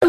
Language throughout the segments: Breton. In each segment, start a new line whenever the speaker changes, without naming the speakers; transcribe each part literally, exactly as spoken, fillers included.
Ar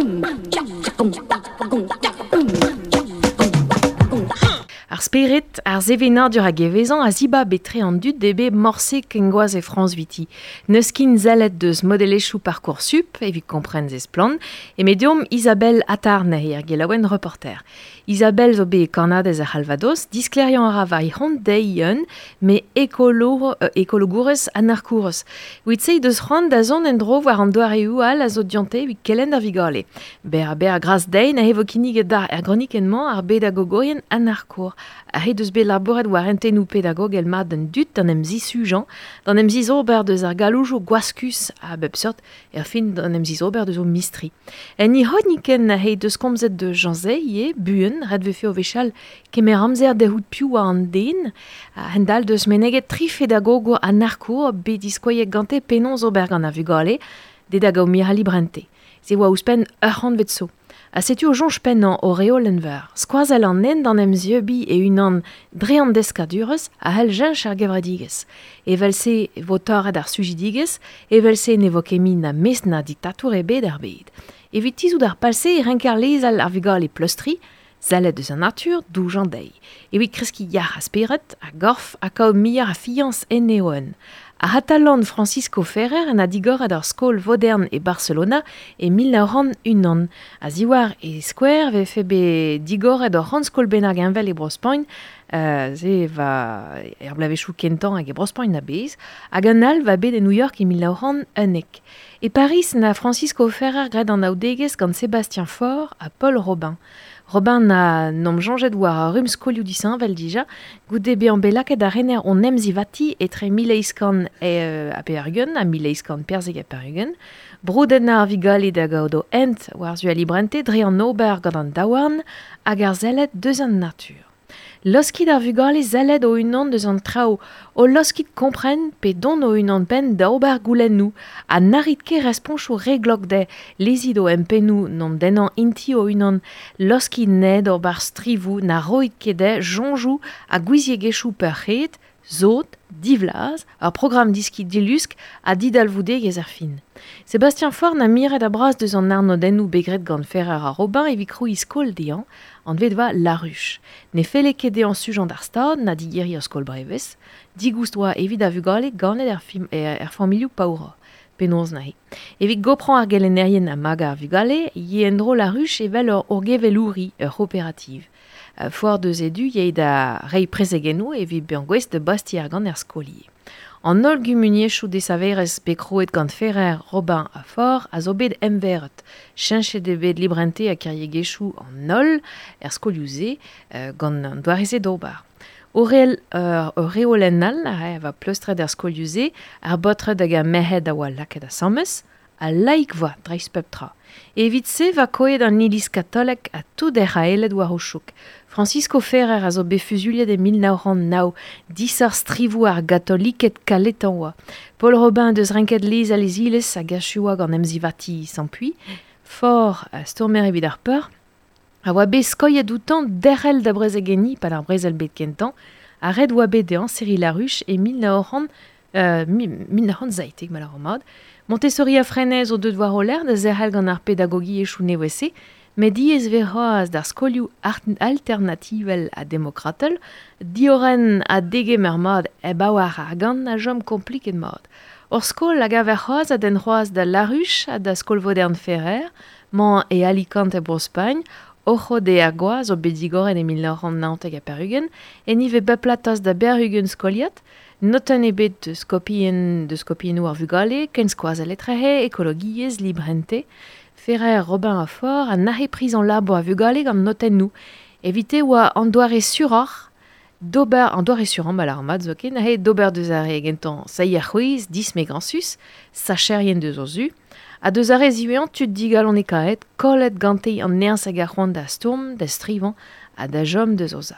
spered, ar sevenadur hag evezañ a zibab etre an dud ebe morse kengoaz e Frañs viti. N'eus kin zellet deus modelezhioù Parcoursup evit kompren ze splann, e medium Isabelle Attarne er gelaouen reporter. Isabelle zo bet kannadez ar C'halvados, diskleriañ a ra war he c'hont dezhi me ekolo, euh, ekologourez anarkourez. Evit se deus c'hoant da zont en-dro war an doareoù all a zo dionte evit kelenn ar vugale. Ber a ber a gras dezhi na evo kinniget d'ar er gronikenn-mañ ar bedagogourien anarkour. Ar he deus bet labouret war hentennoù pedagogel mat d'an dud d'an em zisujañ, d'an em zizober deus ar galoujoù gwaskus a bep seurt, er fin d'an em zizober deus o mistri. En i c'hronikenn he deus komzet de Jean Zay ivez, buan, ret vefe o wechall kemer amzer dehout piv war an den, a-hend-all deus meneget tri fedagogour anarkour bet diskoaiet gante penaos ober gant ar vugale, dedag o mirali librente. Se oa ouzhpenn ur c'hantved zo. Ha setu o soñj pennañ o reolenn veur. Skoazell an nen d'an em zieubiñ e-unan dre an deskadurezh a c'hell cheñch ar gevredigezh. Evel-se e vo torret ar sujidigezh, evel-se ne vo ket mui na mestr na diktatour ebet er bed. Evit tizhout ar pal-se e renker lezel ar vugale pleustriñ, sellet eus an natur, doujañ dezhi. Evit kreskiñ yac'h a spered, a gorf ha kaout muioc'h a fiañs enne o-un. Ar C'hatalan Francisco Ferrer en a digoret ar skol vodern e Barcelona e mil nav c'hant unan. A ziwar e skouer vefe bet digoret ur c'hant skol bennak heñvel e Bro-Spagn, euh, se va er bloavezhioù kentañ hag e Bro-Spagn a-bezh, hag un all va bet e New York e mil nav c'hant unnek. E Paris na Francisco Ferrer graet an anaoudegezh gant Sébastien Faure ha Paul Robin. Robin na n'om soñjet war ar rumm skolioù disheñvel dija, goude bezañ bet lakaet ar rener on emzivati etre mil eizh kant euh, ha pevar-ugent ha mil eizh kant perzek ha pevar-ugent, broudenn ar vugale da gaout o hent war-zu al librente dre an ober gant an daouarn hag ar sellet deus an natur. Laoskit ar vugale sellet o-unan deus an traoù, o laoskit kompren pe dont o-unan-penn da ober goulennoù, ha na rit ket responchoù re glok dezhe, lezit o empennoù n'om dennañ inti o-unan, laoskit ned ober strivoù na roit ket dezhe soñjoù ha gouiziegezhioù peurc'hraet, sot, divlaz, ur programm diskiñ dilusk ha didalvoudegezh ar fin. Sébastien Faure na miret a bras deus an arnodennoù bet graet gant Ferrer ha Robin evit krouiñ skol dezhañ, anvet va La Ruche. Ne felle ket dezhañ sujañ d'ar stad na digeriñ ur skol brevez, digoust oa evit ar vugale ganet er, fim, er, er familhoù paourañ. Penaos neuze. Evit goprañ ar gelennerien ha magañ ar vugale, ye en-dro La Ruche evel ur orgevelouri, ur c'hooperativ. Foar deus edu ye da reiñ prezegennoù evit bezañ gouest da bastiñ argant er skolier. An holl gumuniezhioù desaverezh bet krouet gant Ferrer, Robin ha Faure a zo bet emveret. Cheñchet eo bet librente ha kiriegezhioù an holl er skolioù-se euh, gant an doare-se d'ober. Ur euh, ur reolenn all a va pleustret er skolioù-se, ar baotred hag ar merc'hed a oa lakaet asambles, ha laik voa dreist pep tra. Evit se va koet an iliz katolek ha tout er aeled war o chouk. Francisco Ferrer a zo bet fuzuliet e mil nav c'hant nav, disoc'h strivoù ar gatoliked kaletañ oa. Paul Robin deus renket lez al ezilez hag achuoa gant emzivati Sampuy. Faure a stourmer evit ar peur, a oa bet skoilhet outañ derc'hel da brezegenniñ pad ar brezel bet kentañ, ha ret oa bet dezhañ serriñ La Ruche e mil nav c'hant, euh, mil nav c'hant seitek ma lâran mat. Montessori ha Freinet zo deut war o lerc'h da zerc'hel gant ar pedagogiezhioù nevez-se, met diaes vez c'hoazh d'ar skolioù alternativel ha demokratel, diorren ha degemer mat hep a-walc'h argant a chom kompliket mat. Ur skol a gaver c'hoazh a denn c'hoazh da La Ruche ha da skol vodern Ferrer, mañ e Alicante e Bro-Spagn, Ojo de Agua zo bet digoret e mil nav c'hant naontek ha pevar-ugent, en ivez bep platoz da bevar-ugent skoliad, notenn ebet deus kopien, deus kopiennoù ar vugale, kenskoazell etrehe, ekologiezh, librente. Ferrer, Robin ha Faure a nac'he priz an labour a vugale gant notennoù. Evite oa an doare suroc'h d'ober, an doare surañ ma lâran mat zoken, ahe d'ober deus ar re gentañ seier c'hwezh, dismegañsus, sacherien deus o zu, ha deus ar re ziwezhañ tud digalonekaet, kollet gante an nerzh hag ar c'hoant da stourm, da strivañ ha da chom deus o za.